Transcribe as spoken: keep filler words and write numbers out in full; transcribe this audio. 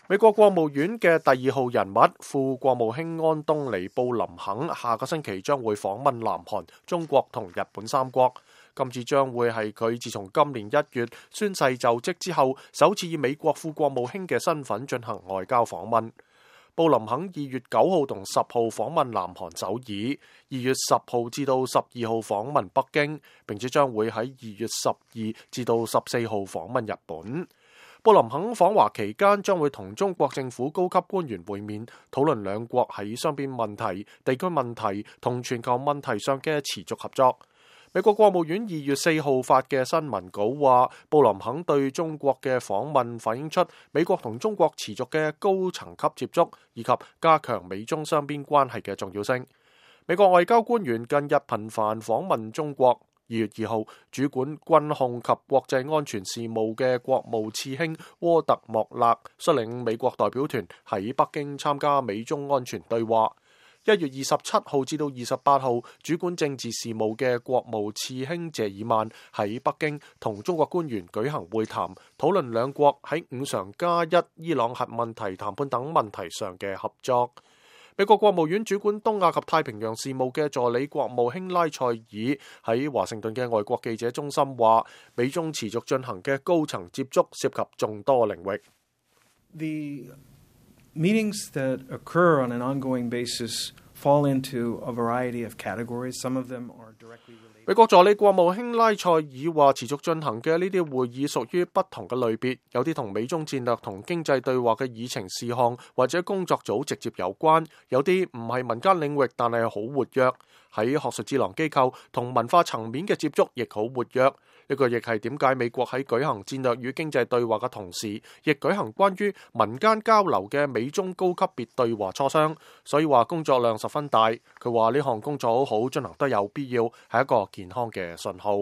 美國國務院嘅第二號人物副國務卿安東尼布林肯下個星期將會訪問南韓、中國同日本三國。今次將會係佢自從今年一月宣誓就職之後，首次以美國副國務卿嘅身份進行外交訪問。布林肯二月九號同十號訪問南韓首爾，二月十號至到十二號訪問北京，並且將會喺二月十二至到十四號訪問日本。布林肯訪華期間將會同中國政府高級官員會面，討論兩國喺雙邊問題、地區問題同全球問題上嘅持續合作。美國國務院二月四號發嘅新聞稿話，布林肯對中國嘅訪問反映出美國同中國持續嘅高層級接觸，以及加強美中雙邊關係嘅重要性。美國外交官員近日頻繁訪問中國。二月二號，主管軍控及國際安全事務嘅國務次卿沃特莫勒率領美國代表團喺北京參加美中安全對話。一月二十七號至到二十八號，主管政治事務嘅國務次卿謝爾曼喺北京同中國官員舉行會談，討論兩國喺五常加一伊朗核問題談判等問題上嘅合作。美國國務院主管東亞及太平洋事務嘅助理國務卿拉塞爾喺華盛頓嘅外國記者中心話，美中持續進行嘅高層接觸涉及眾多領域。 The meetings that occur on an ongoing basis fall into a variety of categories. Some of them are directly related. 美國助理國務卿拉塞爾話，持續進行嘅呢啲會議屬於不同嘅類別，有啲同美中戰略同經濟對話嘅議程事項或者工作組直接有關，有啲唔係民間領域，但係好活躍。喺學術智囊機構同文化層面嘅接觸亦好活躍。呢個亦係點解美國喺舉行戰略與經濟對話嘅同時，亦舉行關於民間交流嘅美中高級別對話磋商。所以話工作量十分大。佢話呢項工作好好進行得有必要，係一個健康嘅信號。